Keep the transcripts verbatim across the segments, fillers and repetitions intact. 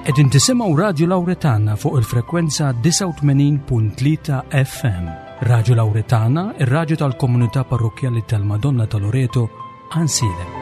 Qegħdin tisimgħu Radio Lauretana fuq il-frekwenza disgħa u tmenin punt tlieta F M. Radio Lauretana, ir-radju tal-komunità parrokjali tal-Madonna ta' Loreto, Għajnsielem.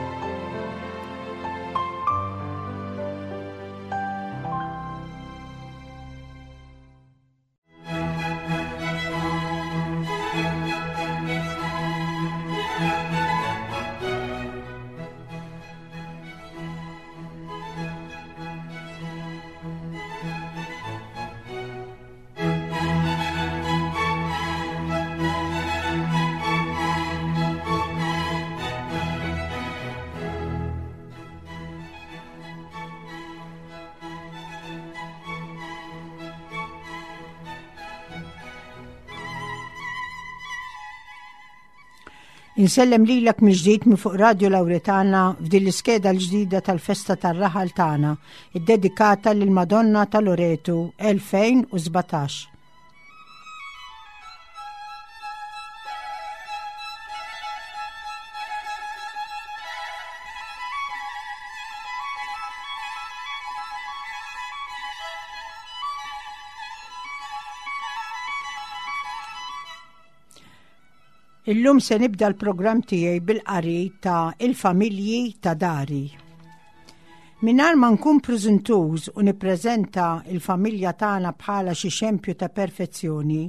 Insellem lilek mill-ġdid minn fuq Radio Lauretana f'din l-iskeda l-ġdida tal-festa tar-raħal tagħna, iddedikata lil Madonna ta' Loreto elfejn u sbatax. Illum se nibda l-programm tiegħi bil-qari ta' Il-Familji ta' Dari. Mingħajr ma nkun preżentuż u nippreżenta il-familja tagħna bħala xi xempju ta' perfezzjoni,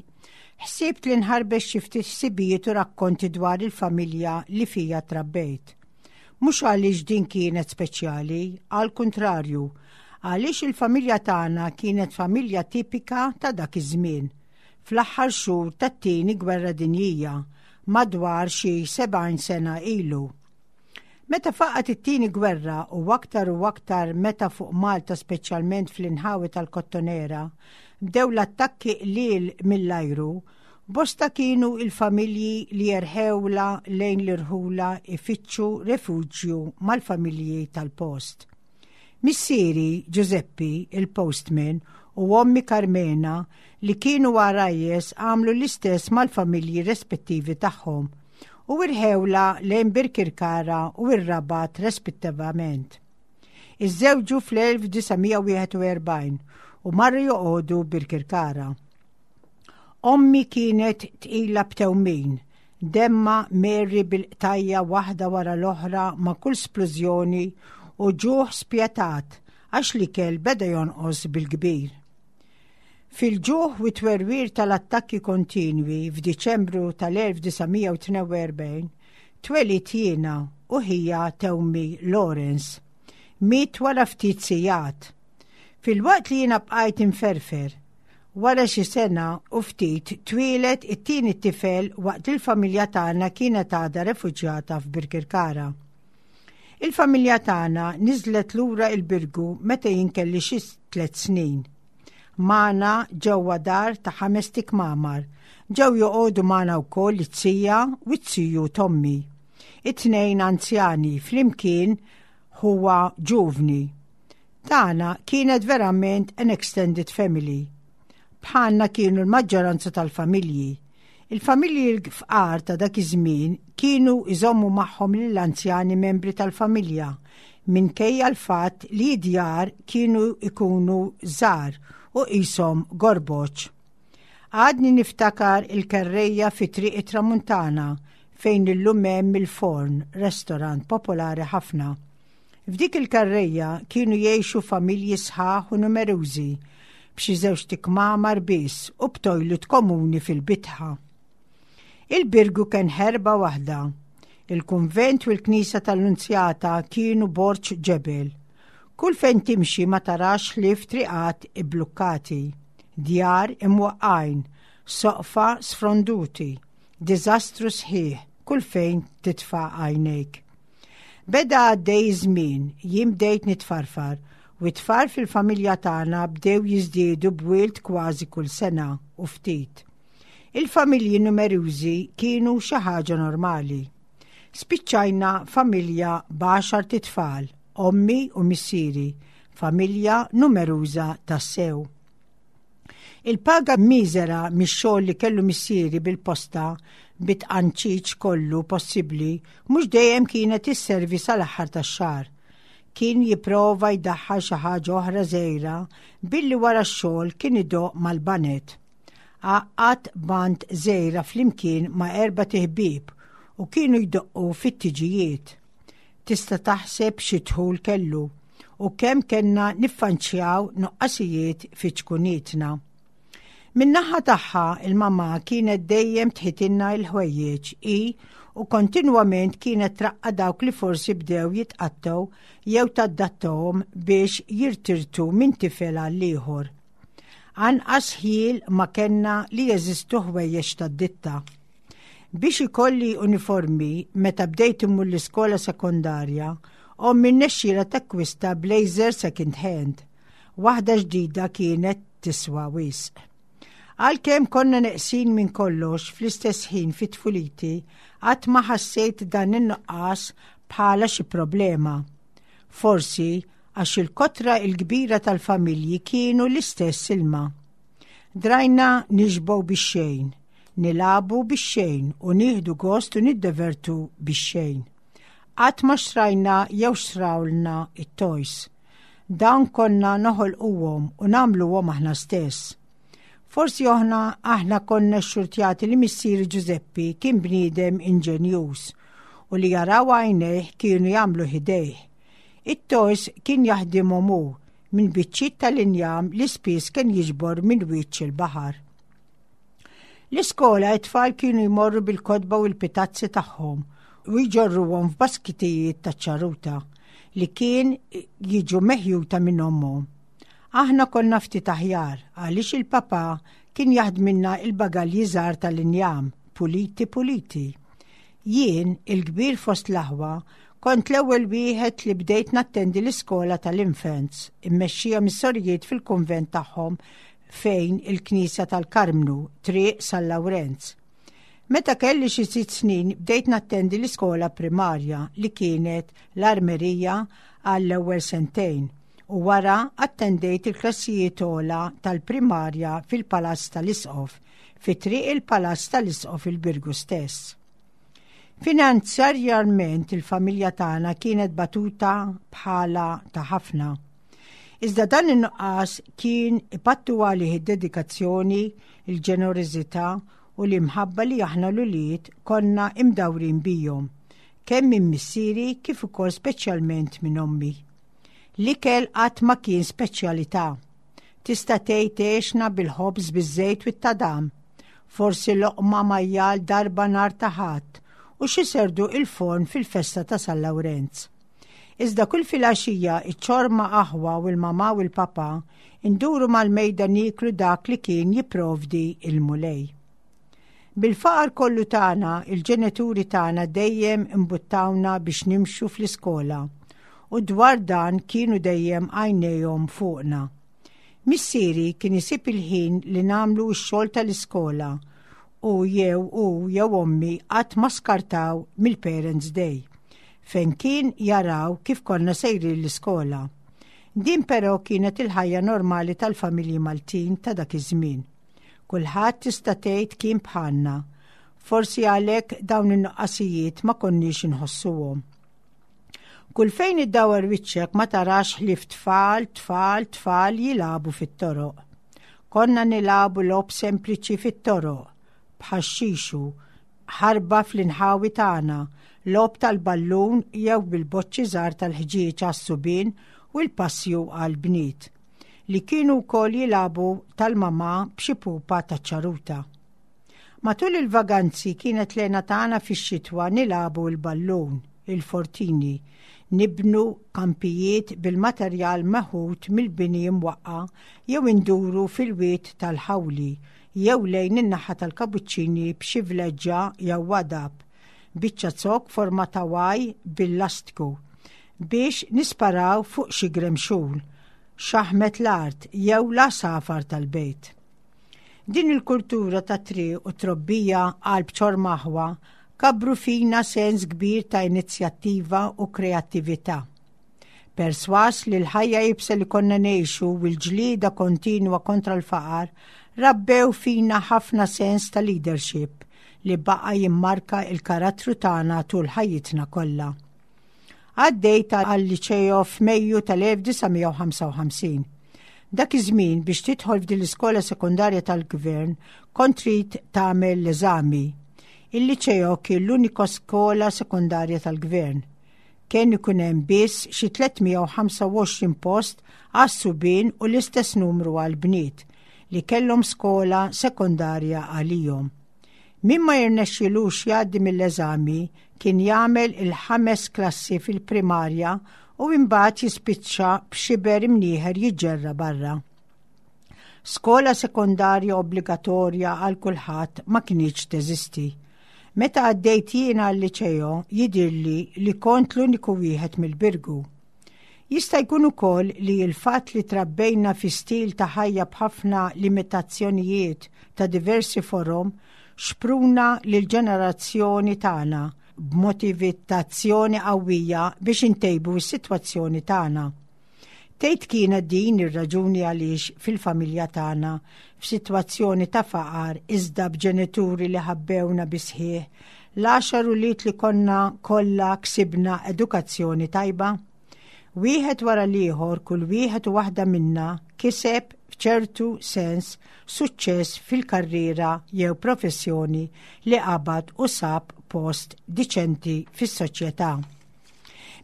ħsibt li nħarbex xi ftit ħsibijiet u rakkonti dwar il-familja li fija trabbejt. Mhux għaliex din kienet speċjali, għal kuntrarju, għaliex il-familja tagħna kienet familja tipika ta' dak iż-żmien, fl-aħħar xhur tat-tieni gwerra dinjija, madwar xi sebgħin sena ilu. Meta faqgħet it-tieni gwerra u aktar u aktar meta fuq Malta, speċjalment fl-inħawi tal-Kottonera, bdew l-attakki qliel mill-ajru, bosta kienu il-familji li jerħewla lejn l-irħula ifittxu refuġju mal-familji tal-post. Missieri Giuseppi, il-postman, u ommi Carmena li kienu għarajjes għamlu l-istess mal-familji rispettivi tagħhom u irħewla lejn Birkirkara u ir-Rabat rispettivament. Iżżewġu fl-elf disa' mija u wieħed u erbgħin u marru joqogħdu Birkirkara. Ommi kienet tqila b'tewmin, demmha meri bil-qtajja waħda wara l-oħra ma' kull splużjoni u ġuħ spjetat għax l-ikel beda jonqos bil-kbir. Fil-ġuħ u twerwir tal-attakki kontinwi f'Diċembru tal-elf disa' mija u tnejn u erbgħin, twelidt jiena u ħija tewmi Lawrence. Miet wara ftit sigħat. Filwaqt li jiena bqajt inferfer, wara xi sena u ftit twieled it-tieni tifel waqt il-familja tagħna kienet għadha refuġjata f'Birkirkara. Il-familja tagħna niżlet lura il-Birgu meta jien kelli xi tliet snin. Magħna ġewwa dar ta' ħamest ikmamar. Ġew joqogħdu magħna wkoll it-tija u t-tiju t'ommi. It-tnejn anzjani flimkien huwa ġuvni. Tagħna kienet verament an extended family. Bħalna kienu l-maġġoranza tal-familji. Il-familji l-fqar ta' dak iż-żmien kienu iżommu magħhom lill-anzjani membri tal-familja minkejja l-fatt li djar kienu ikunu żgħar u qishom gorboċ. Għadni niftakar il-kerreja fi Triq it-Tramuntana fejn illum hemm il-Forn, restorant popolari ħafna. F'dik il-karreja kienu jgħixu familji sħaħ u numerużi b'xi żewġt ikmamar biss u b'toilet komuni fil-bitħa. Il-Birgu kien ħerba waħda. Il-kunvent u l-knisa tal-Lunzjata kienu borġ ġebel. Kull fejn timxi ma tarax ħlief triqat iblukkati, djar imwaqqajn, soqfa sfronduti, diżastru sħiħ kull fejn titfa' għajnejk. Beda għaddej żmien, jien bdejt nitfarfar u t-tfal fil-familja tagħna bdew jiżdiedu b'wild kważi kull sena u ftit. Il-familji numerużi kienu xi ħaġa normali. Spiċċajna familja b'għaxart itfal, ommi u missieri, familja numeruża tassew. Il-paga miżera mix-xogħol li kellu missieri bil-posta bit-tqanċiċ kollu possibbli mhux dejjem kienet isservi sal-aħħar tax-xahar. Kien jipprova jdaħħal xi ħaġa oħra żgħira billi wara x-xogħol kien idoqq mal-baned. Għaqqad band żgħira flimkien ma' erbat iħbieb u kienu jdoqqu fit-tiġijiet. Tista' taħseb xi dħul kellu u kemm kellna niffaċċjaw nuqqasijiet fi ċkunitna. Min-naħa tagħha, il-mama kienet dejjem tħitilna l-ħwejjeġ i u kontinwament kienet traqqa' dawk li forsi bdew jitqattgħu jew taddattahom biex jirtirtu minn tifel għal ieħor. Anqas ħjiel ma kellna li jeżistu ħwejjeġ tad-ditta. Biex ikolli uniformi meta bdejt immur l-iskola sekondarja, ommi rnexxielha takkwista blazer second hand. Waħda ġdida kienet tiswa wisq. Għalkemm konna neqsin minn kollox, fl-istess ħin fit tfuliti qatt ma ħassejt dan in-nuqqas bħala xi problema. Forsi għax il-kotra il-kbira tal-familji kienu l-istess ilma. Drajna nixbgħu bix-xejn, nilagħbu bix-xejn u nieħdu gost u niddevertu bix-xejn. Qatt ma xtrajna jew xtrawlna it-toys. Dawn konna noħolquhom u nagħmluhom aħna stess. Forsi oħna aħna konna xxurtjati li missieri Giuseppi kien bniedem inġenjuż u li jaraw għajnejh kienu jagħmlu ħdejh. It-toys kien jaħdimhom hu minn biċċiet tal-injam li spiss kien jiġbor minn wiċċ il-baħar. L-iskola it-tfal kienu jmorru bil-kotba u l-pitazzi tagħhom u jġorruhom f'baskitijiet ta' ċaruta li kien jiġu meħjuta minn ommhom. Aħna konna ftit aħjar għaliex il-papa kien jaħdmilna il-bagalji żgħar tal-injam, puliti puliti. Jien, il-kbir fost l-aħwa, kont l-ewwel wieħed li bdejt nattendi l-iskola tal-infants, immexxija mis-sorijiet fil-kunvent tagħhom fejn il-Knisja tal-Karmnu, Triq San Lawrenz. Meta kelli xi sitt snin bdejt nattendi l-iskola primarja li kienet l-Armerija għall-ewwel sentejn u wara attendejt il-klassijiet ogħla tal-primarja fil-Palazz tal-Isqof, fi Triq il-Palazz tal-Isqof il-Birgu stess. Finanzjarjament il-familja tagħna kienet batuta bħala ta' ħafna. Iżda dan in-nuqqas kien ipattu għalih id-dedikazzjoni, il-ġenerożità u l-imħabba li aħna l-ulied konna imdawrin bihom, kemm minn missieri kif ukoll speċjalment minn ommi. L-ikel qatt ma kien speċjalità. Tista' tgħid għexna bil-ħobż biż-żejt u t-tadam. Forsi loqma majjal darba nhar ta' Ħadd u xi serduq il-forn fil-festa ta' San Lawrenz. Iżda kull filgħaxija iċ-ċorma aħwa u l-mama u l-papa induru mal-mejda nieklu dak li kien jipprovdi il-Mulej. Bil-faqar kollu tagħna, il-ġenituri tagħna dejjem imbuttawna biex nimxu fl-iskola u dwar dan kienu dejjem għajnejhom fuqna. Missieri kien isib il-ħin li nagħmlu x-xogħol tal-iskola u jew u jew ommi qatt ma skartaw mill-Parents Day fejn kien jaraw kif konna sejrin l-iskola. Din però kienet il-ħajja normali tal-familji Maltin ta' dak iż-żmien. Kulħadd tista' tgħid kien bħalna. Forsi għalhekk dawn in-nuqqasijiet ma konniex inħossuhom. Kull fejn iddawar wiċċek ma tarax ħlief tfal, tfal, tfal jilagħbu fit-toroq. Konna nilagħbu logħob sempliċi fit-toroq, bħax-xixu, ħarba fl-inħawi tagħna, logħob tal-ballun jew bil-boċċi żgħar tal-ħġieġ għas-subien u l-passju għall-bniet li kienu wkoll jilagħbu tal-mama b'xi pupa taċ-ċaruta. Matul il-vaganzi kienet l-hena tagħna fix-xitwa nilagħbu l-ballun, il-fortini, nibnu kampijiet bil-materjal meħud mill-bini imwaqqa jew induru fil-wied tal-Ħawli jew lejn in-naħa tal-Kabuċċini b'xi vleġġa jew wadab, biċċa zokk forma ta' Y bil-lastku biex nisparaw fuq xi gremxul, xaħmet l-art jew l-għasafar tal-bejt. Din il-kultura ta' triq u trobbija qalb ċorma aħwa kabru fina sens kbir ta' inizjattiva u kreattività. Perswas li l-ħajja iebsa li konna ngħixu u l-ġlida kontinwa kontra l-faqar rabbew fina ħafna sens ta' leadership li baqa jimmarka il-karattru tagħna tul ħajjitna kollha. Għaddejt għal-liċeo f'Mejju tal-elf disa' mija u ħamsa u ħamsin. Dak iż-żmien, biex tidħol f'din l-iskola sekondarja tal-gvern, kont trid tagħmel l-eżami. Il-liċeo kien l-unika skola sekondarja tal-gvern. Kien ikun hemm biss xi tliet mija u ħamsa u għoxrin post għas-subien u l-istess numru għal-bniet li kellhom skola sekondarja għalihom. Min ma jirnexxilux jgħaddi mill-eżami kien jagħmel il-ħames klassi fil-primarja u imbagħad jispiċċa b'xiber imnieħer jiġġerra barra. Skola sekondarja obbligatorja għal kulħadd ma kinitx teżisti. Meta għaddejt jiena għal-liċeo, jidirli li kont l-uniku wieħed mill-Birgu. Jista' jkun ukoll li l-fatt li trabbejna fi stil ta' ħajja b'ħafna limitazzjonijiet ta' diversi forom xpruna lil ġenerazzjoni tagħna b'motivazzjoni qawwija biex intejbu s-sitwazzjoni tagħna. Tgħid kienet din ir-raġuni għaliex fil-familja tagħna, f'sitwazzjoni ta' faqar iżda b'ġenituri li ħabbewna bis-sħiħ, l-għaxar ulied li konna kollha ksibna edukazzjoni tajba? Wieħed wara l-ieħor, kull wieħed u waħda minna kiseb f'ċertu sens suċċess fil-karriera jew professjoni li qabad u sab post diċenti fis-soċjetà.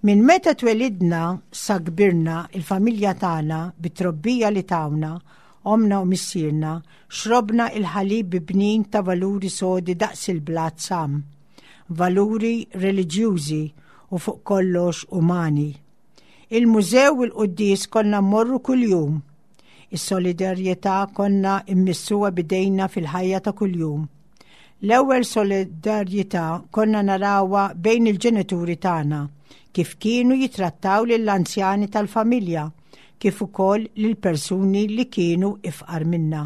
Minn meta twelidna sa kbirna, il-familja tagħna, bit-trobbija li tawna omna u missierna, xrobna il-ħalib bnin ta' valuri sodi daqs il-blat sam, valuri reliġjużi u fuq kollox umani. Il-mużew u l-quddies konna mmorru kuljum. Is-solidarjetà konna immissuha bidejna fil-ħajja ta' kuljum. L-ewwel solidarjetà konna narawha bejn il-ġenituri tagħna, kif kienu jitrattaw lill-anzjani tal-familja, kif ukoll lil persuni li kienu ifqar minna.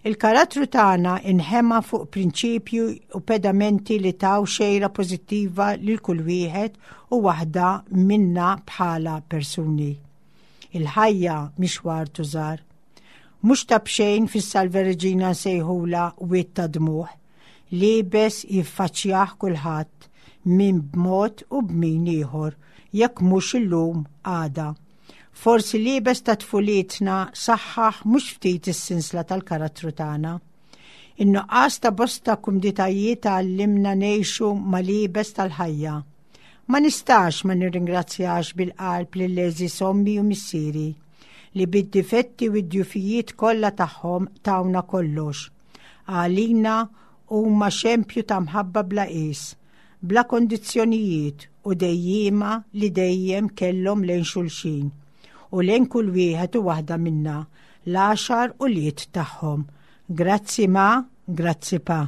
Il-karattru tagħna inħema fuq prinċipju u pedamenti li taw xejra pożittiva lil kull wieħed u waħda minna bħala persuni. Il-ħajja mixwar tużar. Mhux ta' b'xejn fis-Salve Regina nsejħula wied ta' dmugħ. Iebes jiffaċċjah kulħadd, min b'mod u b'min ieħor, jekk mhux illum, għada. Forsi l-iebes ta' tfulitna saħħaħ mhux ftit is-sinsla tal-karattru tagħna. In-nuqqas ta' bosta kumditajiet għallimna ngħixu mal-iebes tal-ħajja. Ma nistax ma nirringrazzjax bil-qalb lil ommi u missieri li bid-difetti u d-djufijiet kollha tagħhom tawna kollox. Għalina huma xempju ta' mħabba bla qis, bla kondizzjonijiet u dejjima li dejjem kellhom lejn xulxin u lejn kull wieħed u waħda minna, l-għaxar ulied tagħhom. Grazzi ma, grazzi pa.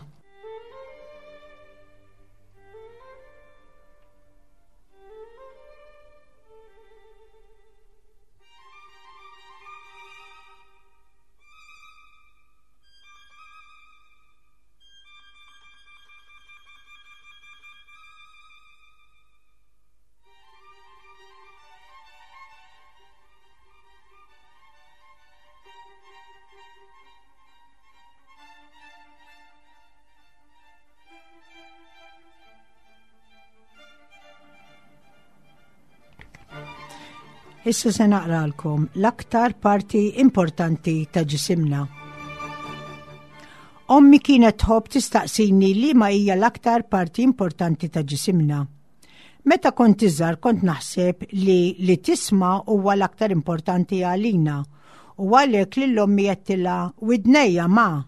Issa se naqralkom l-aktar parti importanti ta' ġisimna. Ommi kienet tħobb tistaqsini li ma hija l-aktar parti importanti ta' ġisimna. Meta kont iżgħar kont naħseb li li tisma' huwa l-aktar importanti għalina u għalhekk lil ommi għedtilha, "Widnejja, ma."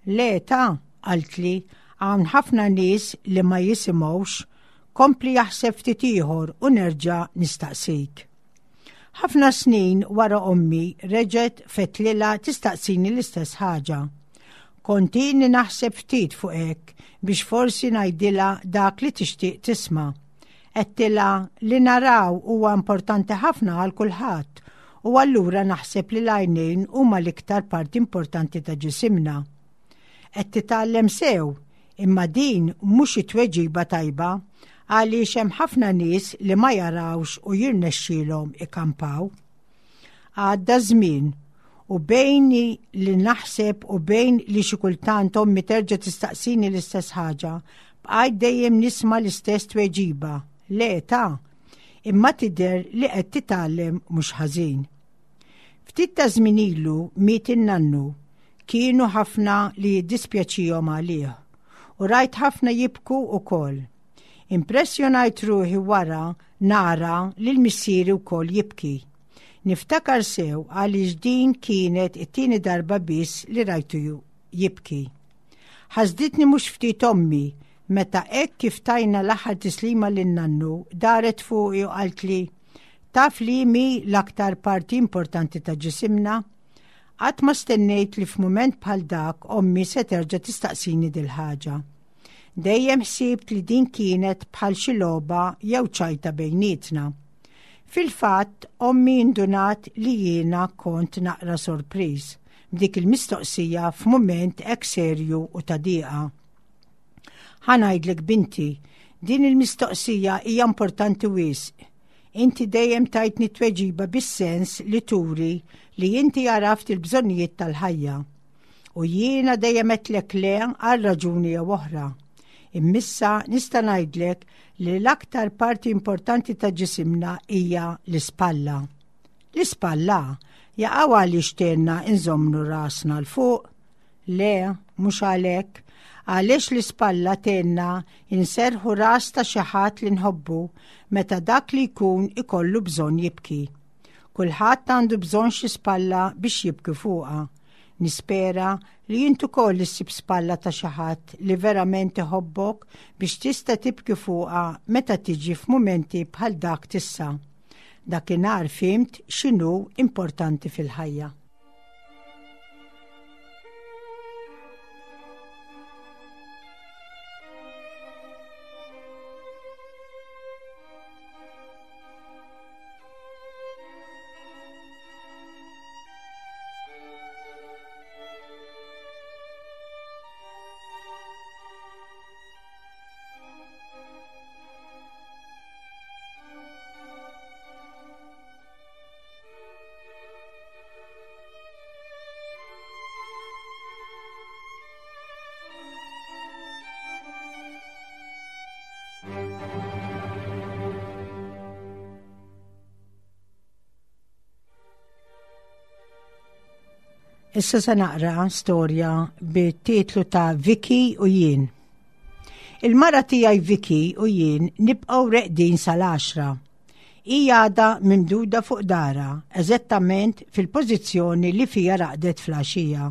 "Le ta," qaltli, "hawn ħafna nies li ma jisimgħux, kompli aħseb ftit ieħor u nerġa' nistaqsik." Ħafna snin wara ommi reġgħet fettlilha tistaqsini l-istess ħaġa. Kont ilni naħseb ftit fuq hekk biex forsi ngħidilha dak li tixtieq tisma'. Għedtilha li naraw huwa importanti ħafna għal kulħadd u allura naħseb li l-għajnejn huma l-iktar parti importanti ta' ġisimna. "Qed titgħallem sew, imma din mhux it-tweġiba tajba għaliex hemm ħafna nies li ma jarawx u jirnexxielhom ikampaw." Għadda żmien u bejni li naħseb u bejn li xi kultant ommi terġa' tistaqsini l-istess ħaġa, bqajt dejjem nisma' l-istess tweġiba. "Le ta, Imma tidher li qed titgħallem mhux ħażin. Ftit ta' żmien ilu miet in-nannu, kienu ħafna li jiddispjaċihom għalih u rajt ħafna jibku ukoll. Impressjonajt ruħi wara nara lil missieri wkoll jibki. Niftakar sew għaliex din kienet it-tieni darba biss li rajtu jibki. Ħasditni mhux ftit ommi meta hekk kif tajna l-aħħar tislima lin-nannu daret fuqi u qaltli taf li mi l-aktar parti importanti ta' ġisimna? Qatt ma stennejt li f'mument bħal dak ommi se terġa' tistaqsini dil-ħaġa. Dejjem ħsibt li din kienet bħal xi logħba jew ċajta bejnietna. Fil-fatt, ommi indunat li jiena kont naqra sorpriż b'dik il-mistoqsija f'mument hekk serju u ta' dieqa. Ħa ngħidlek binti, din il-mistoqsija hija importanti wisq. Inti dejjem tajtni tweġiba bis-sens li turi li inti għaraft il-bżonnijiet tal-ħajja. U jiena dejjem għedtlek le għal raġuni jew oħra. Imma issa nista' ngħidlek li l-aktar parti importanti ta' ġisimna hija l-ispalla. L-ispalla jaqaw għaliex tgħinna nżommu rasna 'l fuq? Le, mhux għalhekk, għaliex l-ispalla tgħinna inserħu ras ta' xi ħadd li nħobbu meta dak li jkun ikollu bżonn jibki. Kulħadd għandu bżonn xi spalla biex jibki fuqha. Nispera li int ukoll issib spalla ta' xi ħadd li verament iħobbok biex tista' tibki fuqha meta tiġi f'mumenti bħal dak t'issa. Dakinhar fhimt x'inhu importanti fil-ħajja. Issa se naqra storja bit-titlu ta' Vicky u jien. Il-mara tiegħi Vicky u jien nibqgħu reqdin sal-għaxra. Hija għadha mimduda fuq dara, eżattament fil-pożizzjoni li fija raqdet fl-għaxija.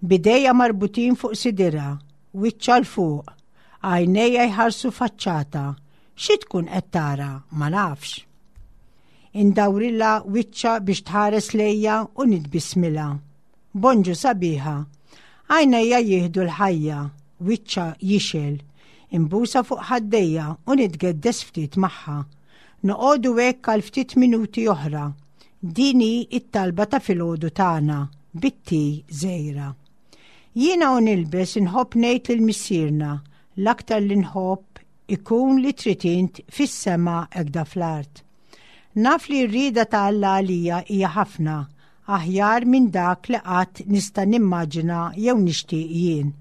B'idejha marbutin fuq sidirha, wiċċha 'l fuq, għajnejha jħarsu faċċata. Xi tkun qed tara, ma nafx. Indawrilha wiċċha biex tħares lejja u nitbismilha. Bonġu sabiħa, għajnejja jieħdu l-ħajja, wiċċha jixgħel, imbusha fuq ħaddejja u nitgeddes ftit magħha. Noqogħdu hekk għal ftit minuti oħra. Din hi it-talba ta' filgħodu tagħna, bitti żgħira. Jiena u nilbes inħobb ngħid lil missierna, l-aktar li nħobb ikun li trid int fis-sema hekda fl-art. Naf li r-rieda ta' Alla għalija hija ħafna, aħjar minn dak li qatt nista' nimmaġina jew nixtieq jien.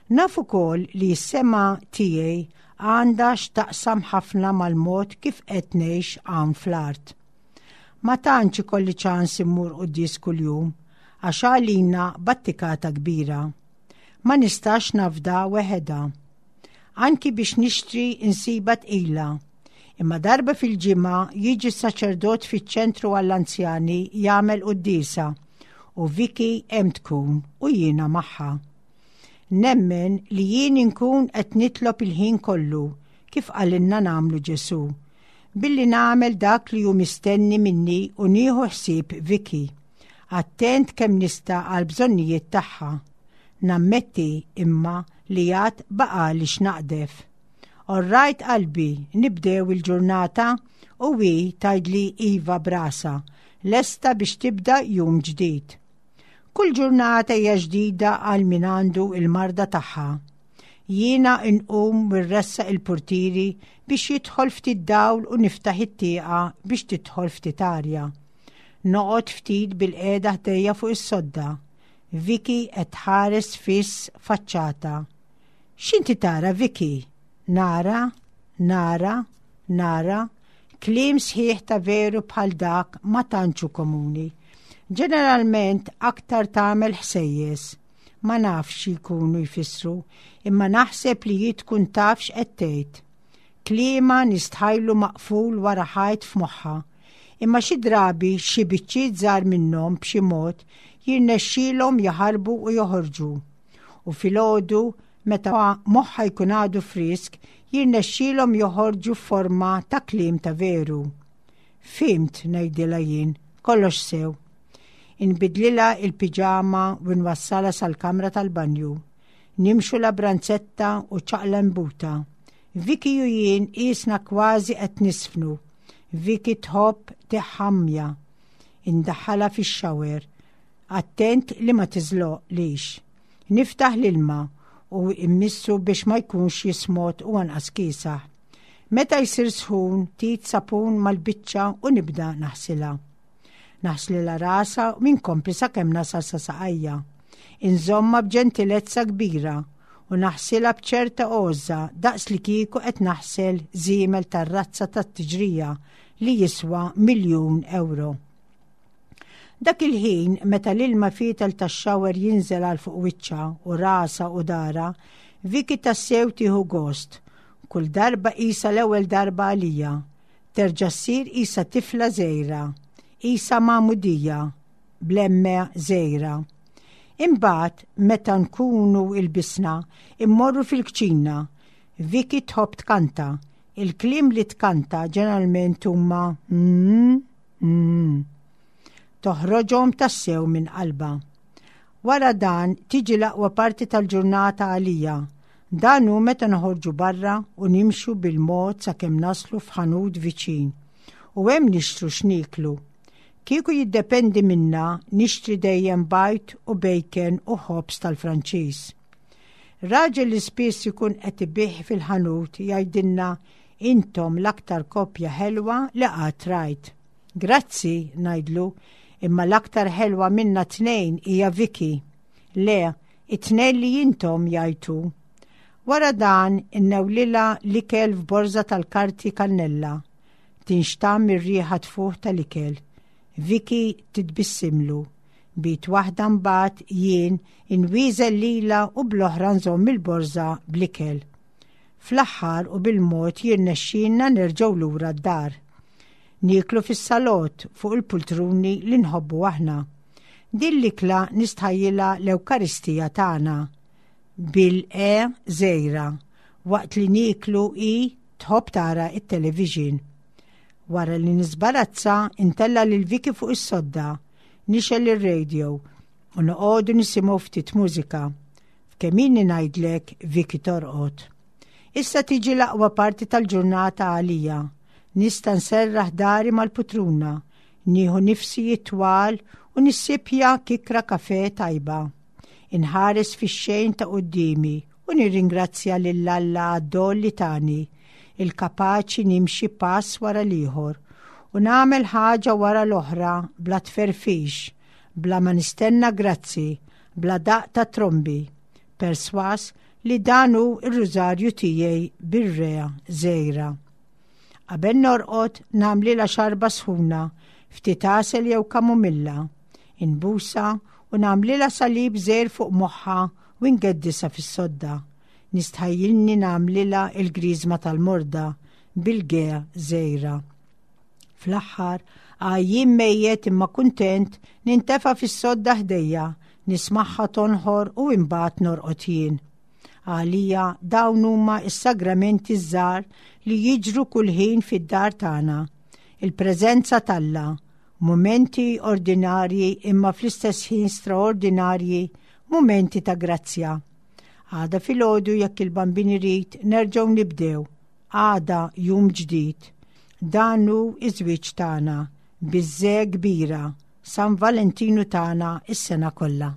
Naf ukoll li s-sema tiegħi għandha x'taqsam ħafna mal-mod kif qed ngħix hawn fl-art. Ma tantx ikolli ċans immur quddies kuljum għax għalina battikata kbira. Ma nistax nafda weħeda. Anki biex nixtri insiba tqila. Imma darba fil-ġimgħa jiġi s-saċerdot fiċ-ċentru għall-anzjani jagħmel quddiesa u Vicky hemm tkun u jiena magħha. Nemmen li jien inkun qed nitlob il-ħin kollu kif qalilna nagħmlu Ġesu, billi nagħmel dak li hu mistenni minni u nieħu ħsieb Vicky, attent kemm nista' għal bżonnijiet tagħha. Nammetti imma li għad baqali x'naqdef. Orrajt qalbi, nibdew il-ġurnata u hi tgħidli iva b'rasha, lesta biex tibda jum ġdid. Kull ġurnata hija ġdida għal min għandu il-marda tagħha. Jiena nqum u rressaq il-portieri biex jidħol ftit dawl u niftaħ it-tieqa biex tidħol ftit arja. Noqgħod ftit bil-qiegħda ħdejja fuq is-sodda. Vicky qed tħares fiss faċċata. X'inti tara, Vicky? Nara, nara, nara, Kliem sħiħ ta' veru bħal dak ma tantx hu komuni. Ġeneralment aktar tagħmel ħsejjes. Ma nafx xi jkunu jfissru, imma naħseb li hi tkun taf x'qed tgħid. Kliemha nistħajlu maqful wara ħajt f'moħħha. Imma xi drabi xi biċċiet żgħar minnhom b'xi mod jirnexxielhom jaħarbu u joħorġu. U filgħodu meta moħħha jkun għadu frisk, jirnexxielhom joħorġu f'forma ta' kliem ta' veru. Fhimt, ngħidilha jien, kollox sew. Inbiddlilha il-piġama u nwassalha sal-kamra tal-banju. Nimxu la branzetta u ċaqla mbuta. Vicky u jien qisna kważi qed niżfnu. Vicky tħobb tiħħammja. Indaħħalha fix-shower. Attent li ma tiżloqlix. Niftaħ l-ilma u immissu biex ma jkunx jismot u anqas kiesaħ. Meta jsir sħun, ftit sapun mal-biċċa u nibda naħsilha. Naħslilha rasha u minkompli sakemm nasal sa saqajja. Inżommha b'ġentilezza kbira u naħsilha b'ċerta għożża daqs li kieku qed naħsel żiemel tar-razza tat-tiġrija li jiswa miljun euro. Dak il-ħin meta l-ilma fietel tax-shower jinżel għal fuq wiċċha u rasha u daharha, Vicky tassew tieħu gost. Kull darba qisha l-ewwel darba għalija. Terġa' ssir qisha tifla żgħira, qisha magħmudija, bl-M żgħira. Imbagħad meta nkunu ilbisna, immorru fil-kċina. Vicky tħobb tkanta. Il-kliem li tkanta ġeneralment huma mm, mm. Toħroġhom tassew minn qalbha. Wara dan tiġi l-aqwa parti tal-ġurnata għalija. Dan hu meta noħorġu barra u nimxu bil-mod sakemm naslu f'ħanut viċin. U hemm nixtru x'niklu. Kieku jiddependi minna nixtri dejjem bajd u bacon u ħobż tal-Franċiż. Raġel li spiss ikun qed ibigħ fil-ħanut jgħidilna intom l-aktar koppja ħelwa li qatt rajt. Grazzi, ngħidlu, imma l-aktar ħelwa minna tnejn hija Vicky. Le, it-tnejn li intom jgħidu. Wara dan innewlilha l-ikel f'borza tal-karti kannella. Tinxtam ir-riħa tfuħ tal-ikel. Vicky titbissimlu. B'id waħda mbagħad jien inwieżen lilha u bl-oħra nżomm il-borza bl-ikel. Fl-aħħar u bil-mod jirnexxilna nerġgħu lura d-dar. Nieklu fis-salott fuq il-pultruni li nħobbu aħna. Din l-ikla nistħajjilha l-Ewkaristija tagħna bil-E żgħira waqt li nieklu i tħobb tara it-television. Wara li nisbarazza intella' lil Vicky fuq is-sodda, nixgħel ir-radio u noqogħdu nisimgħu ftit mużika. F'kemm ilni ngħidlek Vicky torqod. Issa tiġi l-aqwa parti tal-ġurnata għalija. Nista' nserraħ dahri mal-putruna, nieħu nifsijiet twal u nissipja kikra kafe tajba. Inħares fix-xejn ta' quddiemi u nirringrazzja lil Alla għad-don li tani, il-kapaċi nimxi pass wara l-ieħor u nagħmel ħaġa wara l-oħra bla tferfix, bla ma nistenna grazzi, bla daq ta' trombi, perswas li dan hu ir-rużarju tiegħi bir-R żgħira. Qabel norqod nagħmlilha xarba sħuna, ftit għasel jew kamumilla, inbusha u nagħmlilha salib żgħir fuq moħħha u ngeddisha fis-sodda. Nistħajjilni nagħmlilha il-griżma tal-morda bil-G żgħira. Fl-aħħar, għajjien mejjet imma kuntent nintefa' fis-sodda ħdejja, nismagħha tonħor u imbagħad norqod jien. Għalija dawn huma is-sagramenti żgħar li jiġru kull ħin fid-dar tagħna. Il-preżenza t'Alla, momenti ordinarji imma fl-istess ħin straordinarji, momenti ta' grazzja. Għada filgħodu jekk il-Bambin irid nerġgħu nibdew. Għada jum ġdid. Dan hu iż-żwieġ tagħna biż-Z kbira, San Valentinu tagħna is-sena kollha.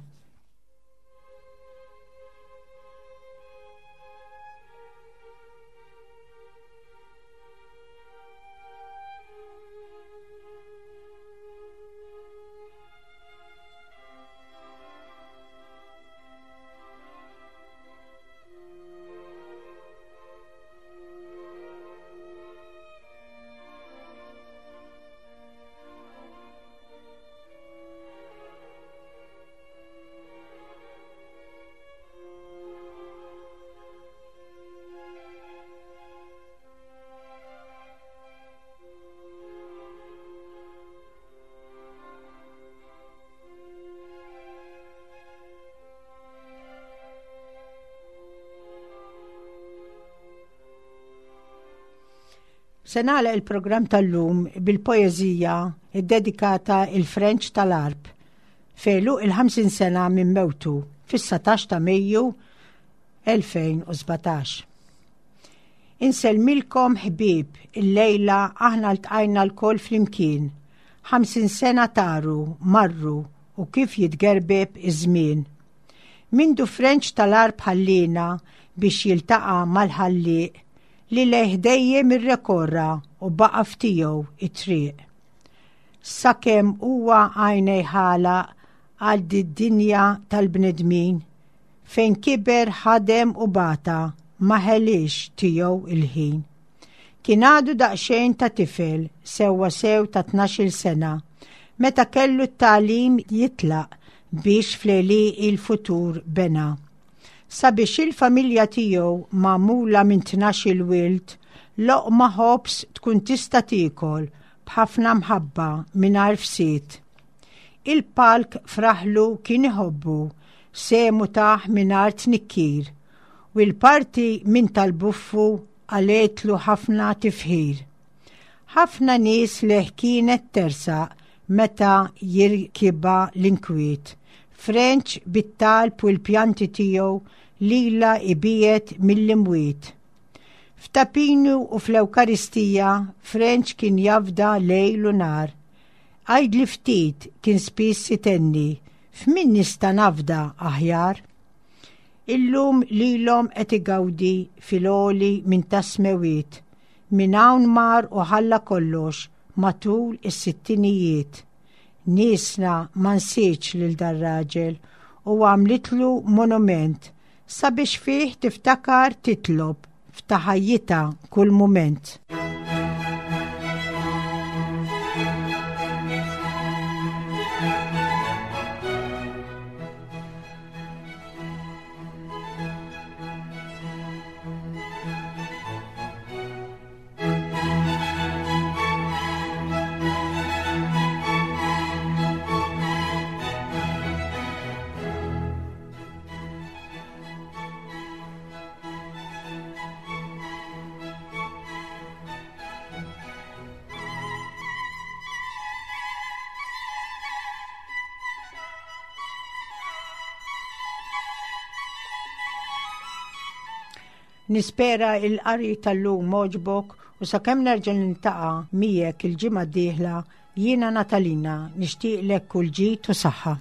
Se nagħlaq il-programm tal-lum bil-poeżija ddedikata lil Frenċ tal-Għarb f'għeluq il-ħamsin sena minn mewtu fis-satax ta' Mejju elfejn u sbatax. Insellmilkom, ħbieb, il-lejla aħna ltqajna lkoll flimkien. Ħamsin sena taru, marru u kif jitgerbeb iż-żmien. Mindu Frenċ tal-Għarb ħallina biex jiltaqa' mal-Ħallieq li lejh dejjem irrekorra u baqa' f'tiegħu it-triq. Sakemm huwa għajnejh għalaq għal dinja tal-bnedmin fejn kiber, ħadem u bata, ma ħelix tiegħu il-ħin. Kien għadu daqxejn ta' tifel, sewwa sew ta' tnax-il sena, meta kellu t-tagħlim jitlaq biex fl-għelieqi il-futur bena. Sabiex il-familja tiegħu, magħmula minn tnax-il wild, loqma ħobż tkun tista' tiekol b'ħafna mħabba mingħajr fsied. Il-palk f'raħlu kien iħobbu, sehmu tah mingħajr tnikkir, u l-parti minn tal-buffu qaltlu ħafna tifħir. Ħafna nies lejh kienet tersaq meta jirkibha l-inkwiet. Frenċ bit-talb u l-pjanti tiegħu lilha ibiegħed mill-imwiet. F'Ta' Pinu u fl-Ewkaristija Frenċ kien jafda lejl u nhar. "Għidli ftit," kien spiss itenni, "f'min nista' nafda aħjar?" Illum lilhom qed igawdi fil-għoli minn tas-smewwiet. Minn hawn mar u ħalla kollox matul is-sittinijiet. Niesna ma nsietx lil dar-raġel u għamlitlu monument sabiex fih tiftakar, titlob f'ta' ħajjitha kull mument. Nispera il-qari tal-lum għoġbok u sakemm nerġa' niltaqa' miegħek il-ġimgħa d-dieħla, jiena Natalina nixtieqlek kull ġid u saħħa.